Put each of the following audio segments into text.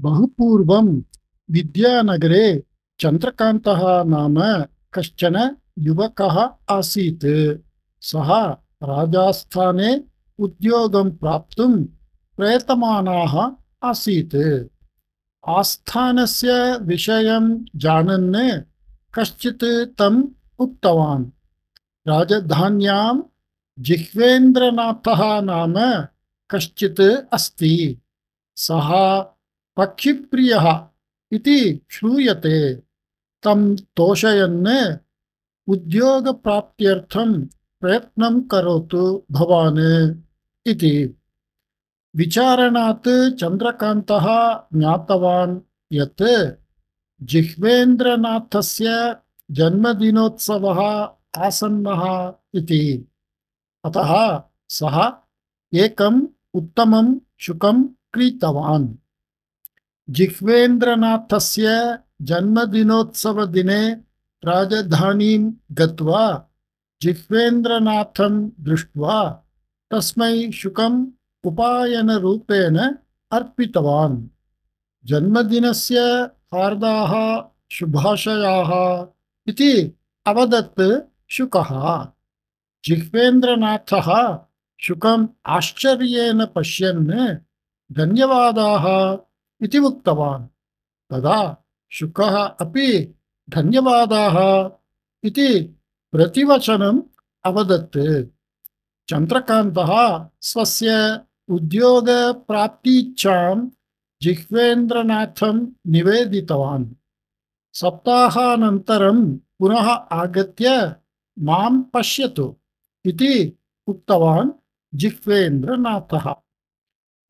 बहुपूर्वं विद्यानगरे चन्द्रकान्तः नाम कश्चन युवकः आसीत्। सः राजस्थाने उद्योगं प्राप्तुं प्रयतमानः आसीत्। आस्थानस्य विषयं जानन् कश्चित् तम् उक्तवान्। राजधान्यां जिह्वेन्द्रनाथः नाम कश्चित् अस्ति। सः पक्षिप्रियः इति श्रूयते। तं तोषयन् उद्योगप्राप्त्यर्थं प्रयत्नं करोतु भवान् इति। विचारणात् चन्द्रकान्तः ज्ञातवान् यत् जिह्वेन्द्रनाथस्य जन्मदिनोत्सवः आसन्नः इति। अतः सः एकम् उत्तमं शुकं क्रीतवान्। जिह्वेन्द्रनाथस्य जन्मदिनोत्सवदिने राजधानीं गत्वा जिह्वेन्द्रनाथं दृष्ट्वा तस्मै शुकम् उपायनरूपेण अर्पितवान्। जन्मदिनस्य हार्दाः शुभाशयाः इति अवदत् शुकः। जिह्वेन्द्रनाथः शुकम् आश्चर्येण पश्यन् धन्यवादाः इति उक्तवान्। तदा शुकः अपि धन्यवादाः इति प्रतिवचनम् अवदत्। चन्द्रकान्तः स्वस्य उद्योगप्राप्तीच्छां जिह्वेन्द्रनाथं निवेदितवान्। सप्ताहानन्तरं पुनः आगत्य मां पश्यतु इति उक्तवान् जिह्वेन्द्रनाथः।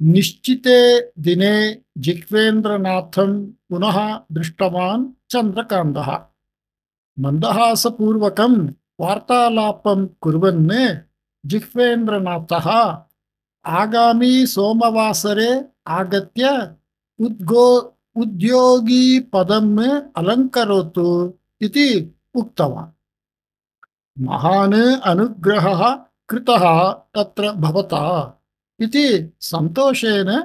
निश्चिते दिने जिह्वेन्द्रनाथं पुनः दृष्टवान् चन्द्रकान्तः। मन्दहासपूर्वकं वार्तालापं कुर्वन् जिह्वेन्द्रनाथः आगामी सोमवासरे आगत्य उद्योगीपदम् अलङ्करोतु इति उक्तवान्। महान् अनुग्रहः कृतः तत्र भवता इति सन्तोषेण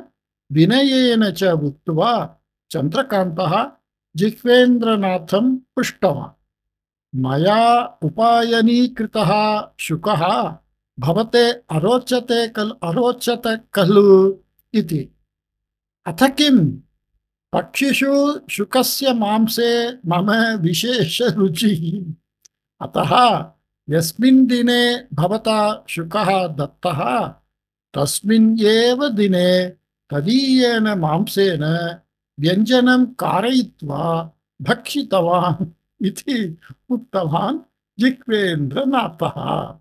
विनयेन च उक्त्वा चन्द्रकान्तः जिह्वेन्द्रनाथं पृष्टवान्। मया उपायनीकृतः शुकः भवते अरोचत खलु इति। अथ किम्? पक्षिषु शुकस्य मांसे मम विशेषरुचिः। अतः यस्मिन् दिने भवता शुकः दत्तः तस्मिन् एव दिने तदीयेन मांसेन व्यञ्जनं कारयित्वा भक्षितवान् इति उक्तवान् जिह्वेन्द्रनाथः।